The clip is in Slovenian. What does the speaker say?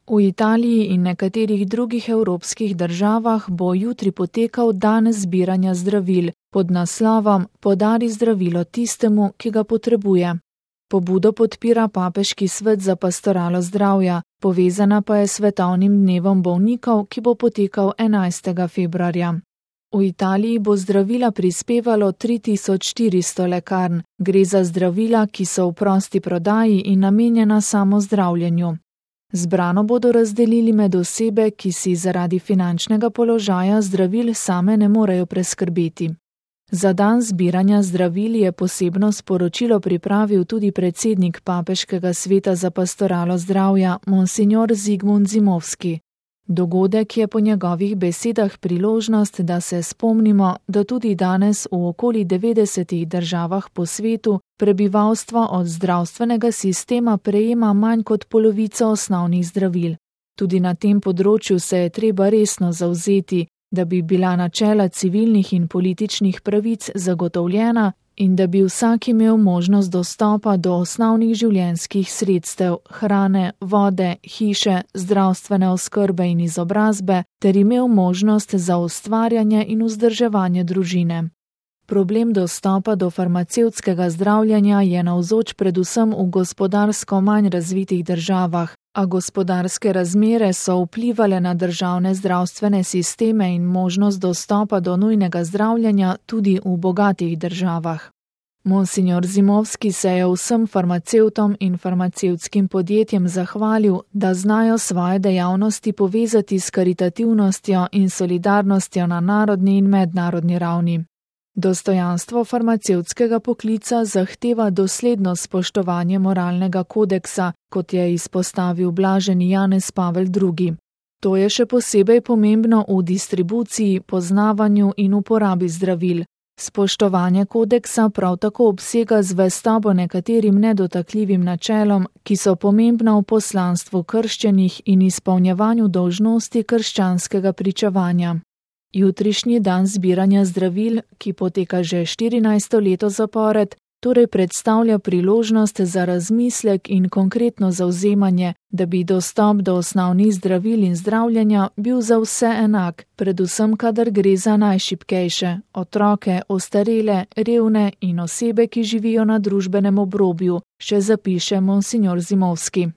V Italiji in nekaterih drugih evropskih državah bo jutri potekal dan zbiranja zdravil pod naslovom Podari zdravilo tistemu, ki ga potrebuje. Pobudo podpira Papeški svet za pastoralo zdravja, povezana pa je s svetovnim dnevom bolnikov, ki bo potekal 11. februarja. V Italiji bo zdravila prispevalo 3400 lekarn. Gre za zdravila, ki so v prosti prodaji in namenjena samo zdravljenju. Zbrano bodo razdelili med osebe, ki si zaradi finančnega položaja zdravil same ne morejo preskrbeti. Za dan zbiranja zdravil je posebno sporočilo pripravil tudi predsednik Papeškega sveta za pastoralo zdravja, monsignor Zygmunt Zimovski. Dogodek je po njegovih besedah priložnost, da se spomnimo, da tudi danes v okoli 90 državah po svetu prebivalstvo od zdravstvenega sistema prejema manj kot polovico osnovnih zdravil. Tudi na tem področju se je treba resno zavzeti, da bi bila načela civilnih in političnih pravic zagotovljena in da bi vsak imel možnost dostopa do osnovnih življenjskih sredstev, hrane, vode, hiše, zdravstvene oskrbe in izobrazbe, ter imel možnost za ustvarjanje in vzdrževanje družine. Problem dostopa do farmacevtskega zdravljenja je navzoč predvsem v gospodarsko manj razvitih državah, a gospodarske razmere so vplivale na državne zdravstvene sisteme in možnost dostopa do nujnega zdravljenja tudi v bogatih državah. Monsignor Zimovski se je vsem farmacevtom in farmacevtskim podjetjem zahvalil, da znajo svoje dejavnosti povezati s karitativnostjo in solidarnostjo na narodni in mednarodni ravni. Dostojanstvo farmacevtskega poklica zahteva dosledno spoštovanje moralnega kodeksa, kot je izpostavil blaženi Janez Pavel II. To je še posebej pomembno v distribuciji, poznavanju in uporabi zdravil. Spoštovanje kodeksa prav tako obsega zvestobo nekaterim nedotakljivim načelom, ki so pomembna v poslanstvu krščenih in izpolnjevanju dolžnosti krščanskega pričevanja. Jutrišnji dan zbiranja zdravil, ki poteka že 14. leto zapored, torej predstavlja priložnost za razmislek in konkretno zavzemanje, da bi dostop do osnovnih zdravil in zdravljenja bil za vse enak, predvsem kadar gre za najšibkejše, otroke, ostarele, revne in osebe, ki živijo na družbenem obrobju, še zapiše monsignor Zimovski.